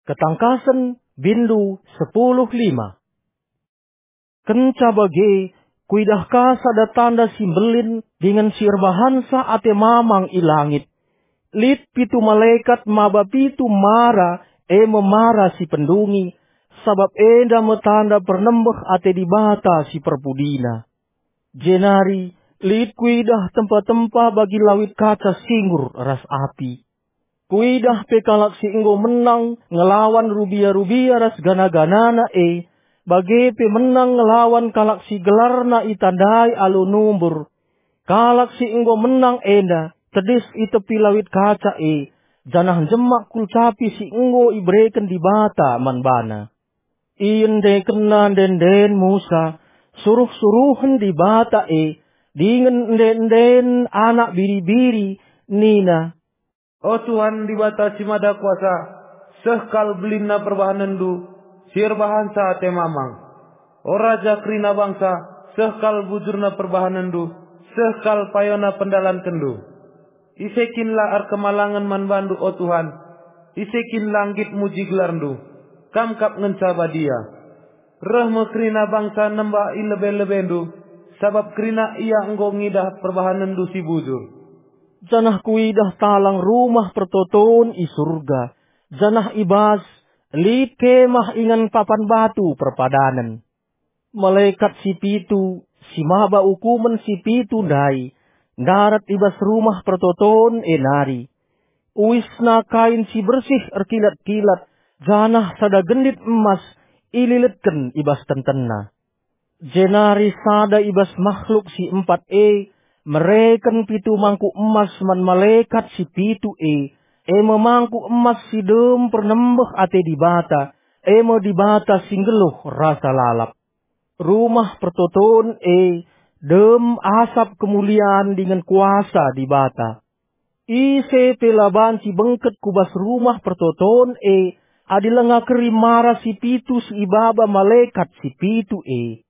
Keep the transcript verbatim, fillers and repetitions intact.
Ketangkasen, bindu sepuluh lima. Kenca bage, kuidah ka sada tanda si mbelin dingen si erbahansa ate mamang i langit. Lit pitu malekat maba pitu mara, e me mara si pendungi, sabap enda me tanda pernembeh ate Dibata si perpudina. Jenari lit kuidah tempa-tempa bagi lawit kaca singgur ras api. Kuidah pe kalak si enggo menang ngelawan rubia-rubia ras gana-ganana e, bage pe menang ngelawan kalak si gelarna itandai alu numbur. Kalak si enggo menang enda tedis i tepi lawit kaca e, janah njemak kulcapi si enggo ibereken Dibata man bana. Iendekenna ende-enden Musa suruh-suruhen Dibata e, dingen ende-enden anak biri-biri, nina, "O Tuhan Dibata si Mada Kuasa, seh kal belinna perbahanenndu si erbahansa ate mamang. O Raja kerina bangsa, seh kal bujurna perbahanenndu, seh kal payona pendalankenNdu. Ise kin la erkemalangen man bandu, o Tuhan? Ise kin la nggit muji gelarNdu? Kam kap ngenca badia. Reh me kerina bangsa nemba i lebe-lebeNdu, sabap kerina ia enggo ngidah perbahanenNdu si bujur." Janah kuidah talang rumah pertoton i Surga, janah i bas lit kemah ingan papan batu perpadanen. Malekat si pitu, si maba ukumen si pitu ndai, ndarat i bas rumah pertoton e nari. Uisna kain si bersih erkilat-kilat, janah sada gendit emas ililetken i bas tentenna. Jenari sada i bas makhluk si empat e mereken pitu mangkuk emas man malekat si pitu e, e me mangkuk emas si dem pernembeh ate Dibata, e me Dibata si nggeluh rasa lalap. Rumah pertoton e dem asap kemulian dingen kuasa Dibata. Ise pe la banci bengket ku bas rumah pertoton e, adi langa keri mara si pitu si ibaba malekat si pitu e.